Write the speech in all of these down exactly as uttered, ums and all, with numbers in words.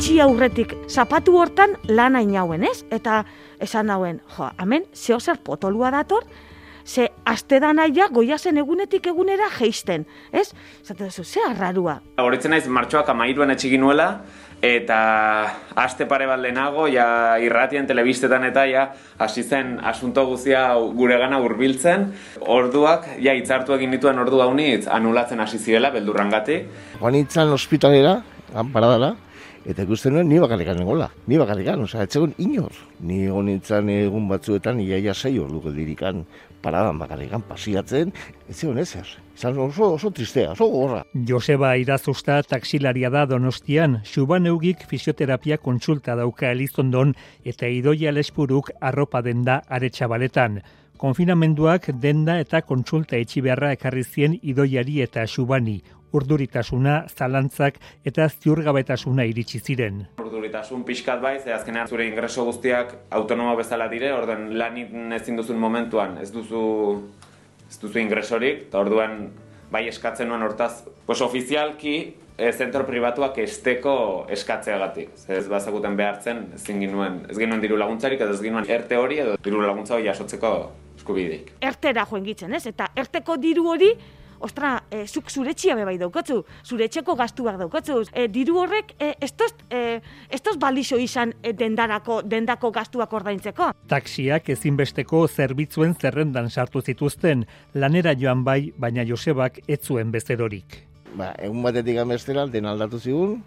itxi aurretik zapatu hortan lan hainauen, ez? Eta esan hauen, jo, hemen zeo zer potolua dator, ze aste da naia goiazen egunetik egunera geisten, ez? Zate duzu, ze arrarua. Horitzen naiz martxoak amairuan etxegin nuela, eta aste pare bat lehenago, ja irratien, telebistetan eta ja hasi zen asunto guztia guregana hurbiltzen. Orduak, ja hitzartu egin dituen ordu haunitz anulatzen hasi zirela, beldurrangatik. Joan nintzen ospitalera, paradara, eta ikusten nuen ni bakarrikan egola, ni bakarrikan, osea, etxegon inor. Ni egon nintzen egun batzuetan, iaia sei ordu geldirikan paradan bakarrikan pasiatzen, ez zegoen ezer. Izan oso, oso tristea, oso gorra. Joseba Irazusta taxilaria da Donostian, Xuban Eugik fisioterapia kontsulta dauka Elizondon eta Idoia Lespuruk arropa denda Aretxabaletan. Konfinamenduak denda eta kontsulta etxi beharra ekarri zien Idoiari eta Xubani. Urduritasuna, zalantzak eta ziurgabetasuna iritsi ziren. Urduritasun pixkat bai, ze azkenean zure ingreso guztiak autonomo bezala dire, orden lanik ezin duzun momentuan ez duzu ez duzu ingresorik, eta orduan bai eskatzen nuen hortaz, pues ofizialki e, zentro pribatuak esteko eskatzeagatik. Ez bazakuten behartzen, ezin ginuen, ez ginuen diru laguntzarik, edo ez ginuen erte hori edo diru laguntza hori jasotzeko eskubideik. Ertera joen gitzen, ez? Eta erteko diru hori, ostra, e, zuk zure etxia bebai daukatzu, zure etxeko gastuak daukatzu. E, diru horrek, e, estos, e, estos balixo izan e, dendarako, dendako gastuak ordaintzeko. Taxiak ezinbesteko zerbitzuen zerrendan sartu zituzten, lanera joan bai, baina Josebak ez zuen bezerorik. Ba, egun batetik amestera, den aldatu zigun,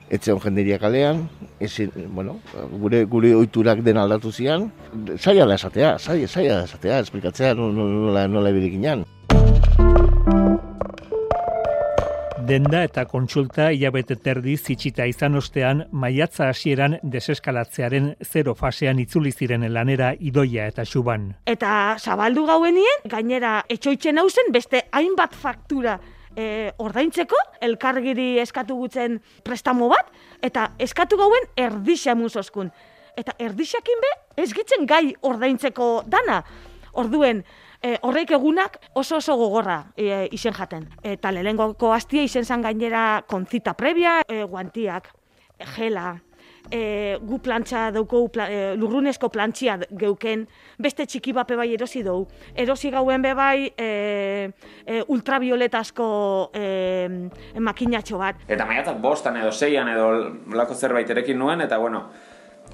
etxeon jenderia kalean, ezin, bueno, gure, gure oiturak den aldatu zian, zaila da esatea, zaila, zaila da esatea, esplikatzea nola, nola ebirikinan. Denda eta kontsulta hilabete terdi zitsita izan ostean, maiatza hasieran deseskalatzearen zero fasean itzuli ziren lanera Idoia eta Xuban. Eta zabaldu gauenien, gainera etxoitzen hauzen beste hainbat faktura e, ordaintzeko, elkargiri eskatu gutzen prestamo bat, eta eskatu gauen erdixa muzoskun. Eta erdixakin be, ez gitzen gai ordaintzeko dana. Orduen, E, horreik egunak oso oso gogorra e, izen jaten. Eta lehengoko hastia izen zan gainera konzita previa, e, guantiak, e, gela, e, gu plantxa dauko, pla, e, lurrunezko plantxia geuken, beste txiki bape bai erosi dugu. Erosi gauen be bai e, e, ultravioletasko e, makinatxo bat. Eta maiatzak bostan edo seian edo lako zerbait erekin nuen, eta bueno,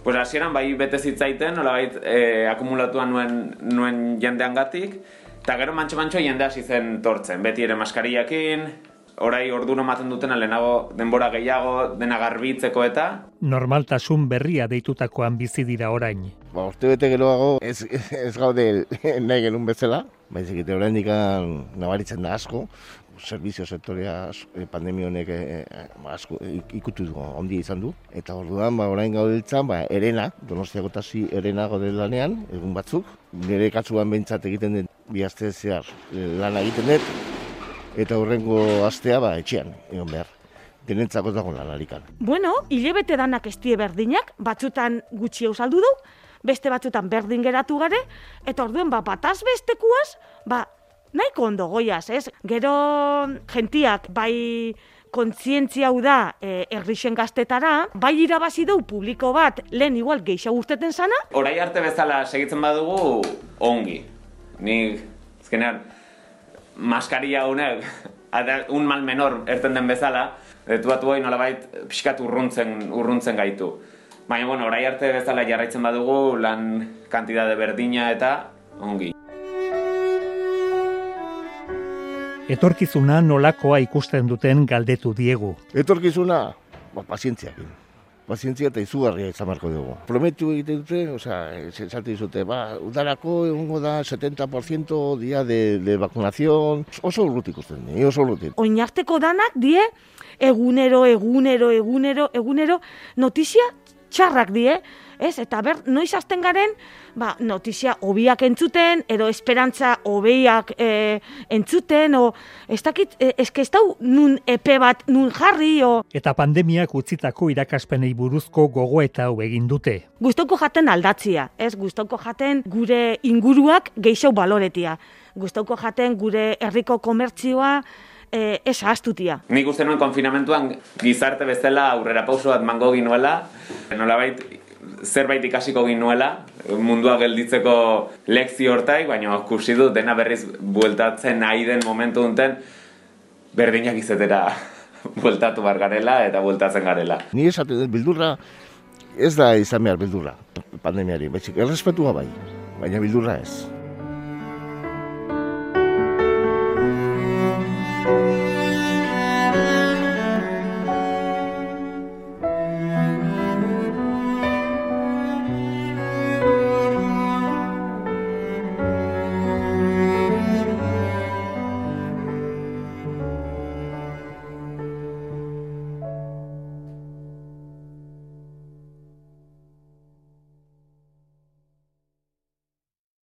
pues hasieran bai bete zitzaiten, nolabait eh, akumulatuan nuen, nuen jendeangatik, eta gero mantxo-mantxo jende hasi zen tortzen, beti ere maskariakin, orai ordu ematen dutena lehenago denbora gehiago dena garbitzeko eta... Normaltasun berria deitutakoan bizi dira orain. Ba, urte bete geroago ez, ez gaude nahi genuen bezala, baizik eta oraindik nabaritzen da asko, servizio sektorea pandemia honek eh, asko ikutu du, ondia izan du. Eta orduan, ba, orain gaudeltzan, ba, erena, Donostiako taxi erena gaude lanean, egun batzuk. Nire katsuan behintzat egiten den bi aste zehar lana egiten dut, eta horrengo astea ba, etxean, egon behar. Denentzako dago lanarikan. Bueno, hilebete danak estie berdinak, batzutan gutxi eusaldu du, beste batzutan berdin geratu gare, eta orduen, ba, bataz bestekuaz, ba, nahiko ondo goiaz, ez? Gero gentiak bai kontzientzia hau da e, errixen gaztetara, bai irabazi du publiko bat lehen igual gehiago urteten sana. Orai arte bezala segitzen badugu ongi. Nik, ezkenean, maskaria honek, un mal menor erten den bezala, detuatu hori nolabait pixkat urruntzen, urruntzen gaitu. Baina, bueno, orai arte bezala jarraitzen badugu lan kantidade berdina eta ongi. Etorkizuna nolakoa ikusten duten galdetu diegu. Etorkizuna, ba, pazientziakin. Pazientzia eta izugarria izan marko dugu. Prometu egiten dute, osea, esate dizute, ba, udarako egongo da setenta por ciento dia de, de vacunación. Oso urrutik ikusten, oso urrutik. Oinarteko danak die, egunero, egunero, egunero, egunero, notizia txarrak die, ez? Eta ber, noiz hasten garen, ba, notizia hobiak entzuten, edo esperantza hobeiak e, entzuten, o, ez dakit, e, eske ez dau nun epe bat nun jarri, o... Eta pandemiak utzitako irakaspenei buruzko gogoeta hau egin dute. Gustoko jaten aldatzia, ez? Gustoko jaten gure inguruak gehiago baloretia. Gustoko jaten gure herriko komertzioa e, ez ahaztutia. Nik uste nuen konfinamentuan gizarte bezala aurrera pauso bat mango ginuela, nolabait zerbait ikasiko ginuela, mundua gelditzeko lekzio hortaik, baina ikusi dut dena berriz bueltatzen nahi den momentu duten, berdinak izetera bueltatu bar garela eta bueltatzen garela. Ni esaten dut beldurra ez da izan behar beldurra pandemiari, baizik errespetua bai, baina beldurra ez.